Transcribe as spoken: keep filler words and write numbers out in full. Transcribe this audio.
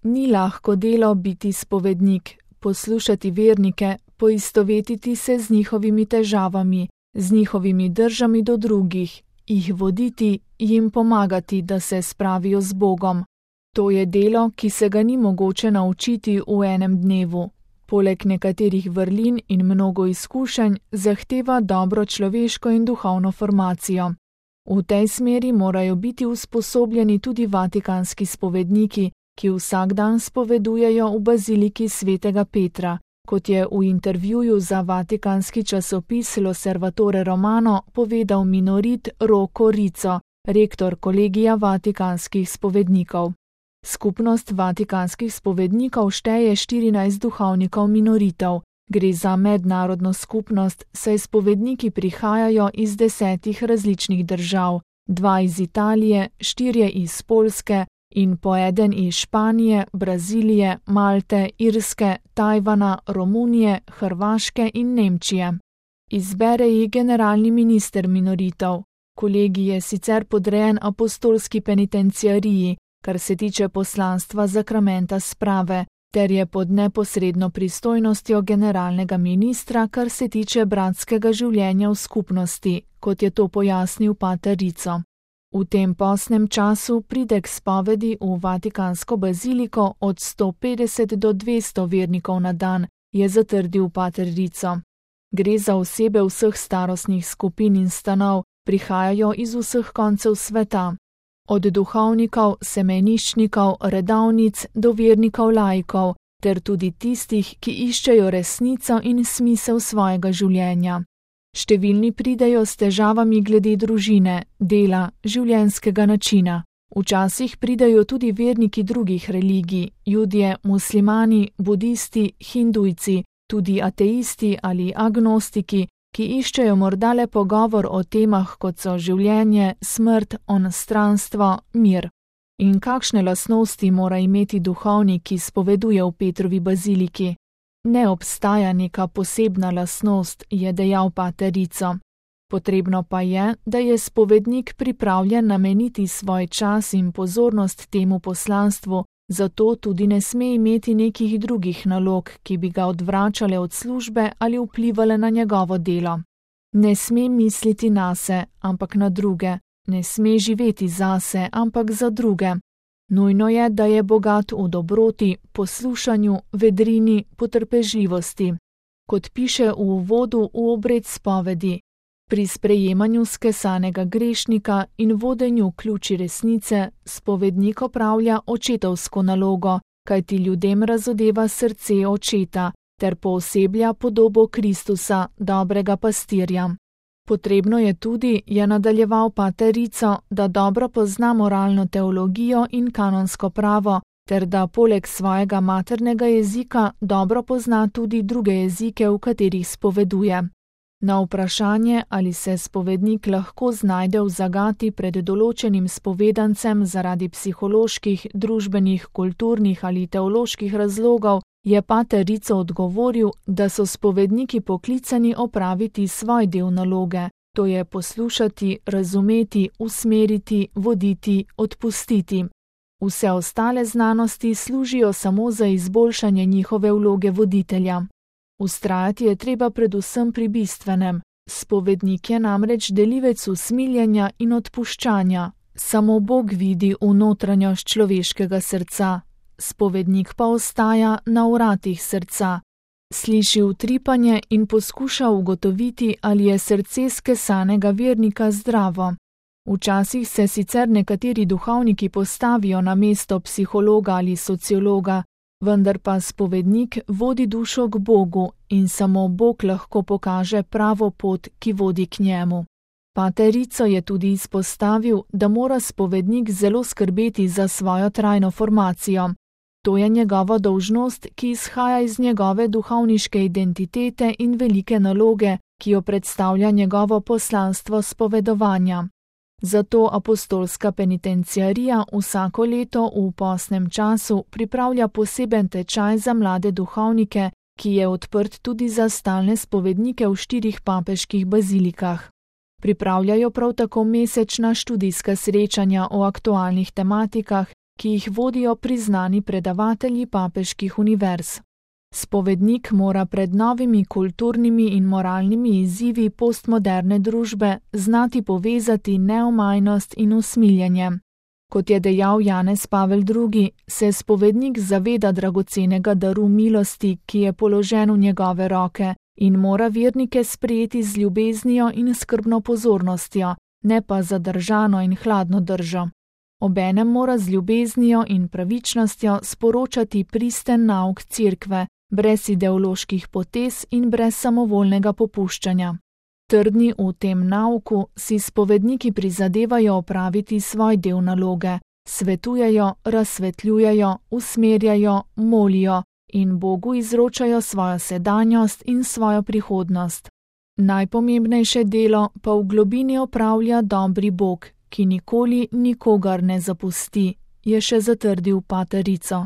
Ni lahko delo biti spovednik, poslušati vernike, poistovetiti se z njihovimi težavami, z njihovimi držami do drugih, jih voditi, jim pomagati, da se spravijo z Bogom. To je delo, ki se ga ni mogoče naučiti v enem dnevu. Poleg nekaterih vrlin in mnogo izkušenj zahteva dobro človeško in duhovno formacijo. V tej smeri morajo biti usposobljeni tudi vatikanski spovedniki, ki vsak dan spovedujejo v baziliki svetega Petra, kot je v intervjuju za vatikanski časopis L'Osservatore Romano povedal minorit Rocco Rizzo, rektor kolegija vatikanskih spovednikov. Skupnost vatikanskih spovednikov šteje štirinajst duhovnikov minoritov. Gre za mednarodno skupnost, saj spovedniki prihajajo iz desetih različnih držav, dva iz Italije, štirje iz Poljske in po eden iz Španije, Brazilije, Malte, Irske, Tajvana, Romunije, Hrvaške in Nemčije. Izbere jih generalni minister minoritov. Kolegij je sicer podrejen apostolski penitenciariji, kar se tiče poslanstva zakramenta sprave, ter je pod neposredno pristojnostjo generalnega ministra, kar se tiče bratskega življenja v skupnosti, kot je to pojasnil pater Rizzo. V tem postnem času pride k spovedi v vatikansko baziliko od sto petdeset do dvesto vernikov na dan, je zatrdil pater Rizzo. Gre za osebe vseh starostnih skupin in stanov, prihajajo iz vseh koncev sveta. Od duhovnikov, semeniščnikov, redavnic do vernikov laikov, ter tudi tistih, ki iščejo resnico in smisel svojega življenja. Številni pridejo s težavami glede družine, dela, življenjskega načina. Včasih pridejo tudi verniki drugih religij, Judje, muslimani, budisti, hindujci, tudi ateisti ali agnostiki, ki iščejo morda le pogovor o temah, kot so življenje, smrt, onstranstvo, mir. In kakšne lastnosti mora imeti duhovnik, ki spoveduje v Petrovi baziliki? Ne obstaja neka posebna lastnost, je dejal pater Rizzo. Potrebno pa je, da je spovednik pripravljen nameniti svoj čas in pozornost temu poslanstvu, zato tudi ne sme imeti nekih drugih nalog, ki bi ga odvračale od službe ali vplivale na njegovo delo. Ne sme misliti nase, ampak na druge. Ne sme živeti zase, ampak za druge. Nujno je, da je bogat v dobroti, poslušanju, vedrini, potrpežljivosti. Kot piše v uvodu v obred spovedi, pri sprejemanju skesanega grešnika in vodenju ključi resnice spovednik opravlja očetovsko nalogo, kajti ljudem razodeva srce očeta, ter pooseblja podobo Kristusa, dobrega pastirja. Potrebno je tudi, je nadaljeval pater Rizzo, da dobro pozna moralno teologijo in kanonsko pravo, ter da poleg svojega maternega jezika dobro pozna tudi druge jezike, v katerih spoveduje. Na vprašanje, ali se spovednik lahko znajde v zagati pred določenim spovedancem zaradi psiholoških, družbenih, kulturnih ali teoloških razlogov, je pater Rizzo odgovoril, da so spovedniki poklicani opraviti svoj del naloge, to je poslušati, razumeti, usmeriti, voditi, odpustiti. Vse ostale znanosti služijo samo za izboljšanje njihove vloge voditelja. Vztrajati je treba predvsem pri bistvenem. Spovednik je namreč delivec usmiljenja in odpuščanja. Samo Bog vidi v notranjost človeškega srca. Spovednik pa ostaja na vratih srca. Sliši utripanje in poskuša ugotoviti, ali je srce skesanega vernika zdravo. Včasih se sicer nekateri duhovniki postavijo na mesto psihologa ali sociologa, vendar pa spovednik vodi dušo k Bogu in samo Bog lahko pokaže pravo pot, ki vodi k njemu. Pater Rizzo je tudi izpostavil, da mora spovednik zelo skrbeti za svojo trajno formacijo. To je njegova dolžnost, ki izhaja iz njegove duhovniške identitete in velike naloge, ki jo predstavlja njegovo poslanstvo spovedovanja. Zato apostolska penitenciarija vsako leto v postnem času pripravlja poseben tečaj za mlade duhovnike, ki je odprt tudi za stalne spovednike v štirih papeških bazilikah. Pripravljajo prav tako mesečna študijska srečanja o aktualnih tematikah, ki jih vodijo priznani predavatelji papeških univerz. Spovednik mora pred novimi kulturnimi in moralnimi izzivi postmoderne družbe znati povezati neomajnost in usmiljenje. Kot je dejal Janez Pavel drugi., se spovednik zaveda dragocenega daru milosti, ki je položen v njegove roke, in mora vernike sprejeti z ljubeznijo in skrbno pozornostjo, ne pa zadržano in hladno držo. Obenem mora z ljubeznijo in pravičnostjo sporočati pristen nauk Cerkve, brez ideoloških potez in brez samovoljnega popuščanja. Trdni v tem nauku si spovedniki prizadevajo opraviti svoj del naloge, svetujejo, razsvetljujejo, usmerjajo, molijo in Bogu izročajo svojo sedanjost in svojo prihodnost. Najpomembnejše delo pa v globini opravlja dobri Bog, ki nikoli nikogar ne zapusti, je še zatrdil pater Rico.